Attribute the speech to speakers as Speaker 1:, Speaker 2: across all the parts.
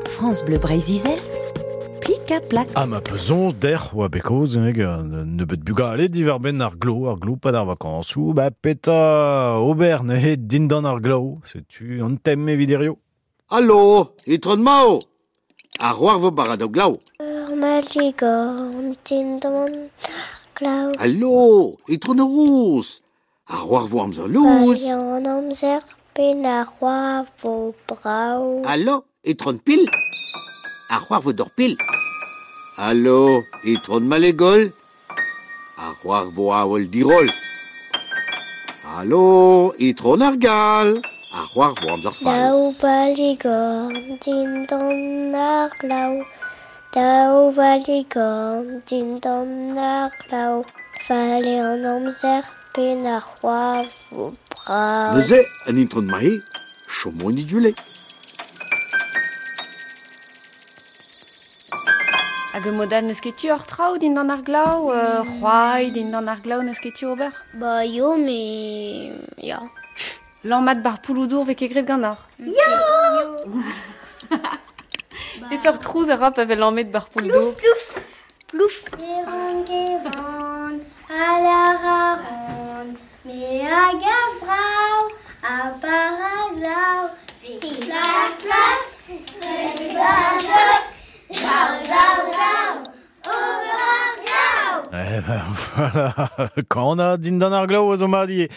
Speaker 1: France Bleu Breizh-Izel, plik ha plak.
Speaker 2: Ha ma peus soñj dec'h oa bet kaoz hag nebeut bugale diwar-benn ar glav, ar glav pad ar vakañsoù, ba petra ober neuze dindan ar glav, setu an tem evit hirio.
Speaker 3: Allo, itron Mao! Ar c'hoar vo bara da glav.
Speaker 4: Ur maligorn dindan ar glav.
Speaker 3: Allo, itron Rouz! Ar c'hoar vo amzer louz.
Speaker 4: An amzer pen ar c'hoar vo brav.
Speaker 3: Allo, itron Pil! Ar c'hoar vo d'ur pil. Allo, itron Malegol! Ar c'hoar vo awel diroll. Allo, itron ar Gal! Ar c'hoar vo amzer fall.
Speaker 4: Daou valigorn dindan ar glav. Daou valigorn dindan ar glav. Fale an amzer pen ar c'hoar vo brav.
Speaker 3: Neuze, an itron Mahe, chomo en idule.
Speaker 5: Hag e modal n'eus ket tu ur traoù dindan ar glav, c'hoari dindan ar glav n'eus ket tu ober?
Speaker 4: Ba yo, mais... Ya.
Speaker 5: Lammat bar pouloudour vez ket graet ganeoc'h?
Speaker 4: Ya!
Speaker 5: Peseurt trouz a ra pa vez lammet bar pouloudour?
Speaker 4: Plouf, plouf. Gevan, gevan, a lar a ran, me a gav brav, a par a glav. Flap, flap, flap, flap, glav, glav, glav, ober ar glav.
Speaker 2: Eh ben voilà, kana dindan ar glav a zo mat ivez.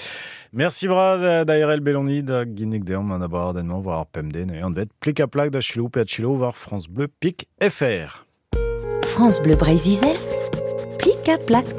Speaker 2: Merci bras da Erel Belloni da ginnig deomp an abadenn-mañ war ar pemde neuze anvet plik ha plak da chilo pe a chilo war France Bleu Pik FR.
Speaker 1: France Bleu Breizh-Izel, plik ha plak.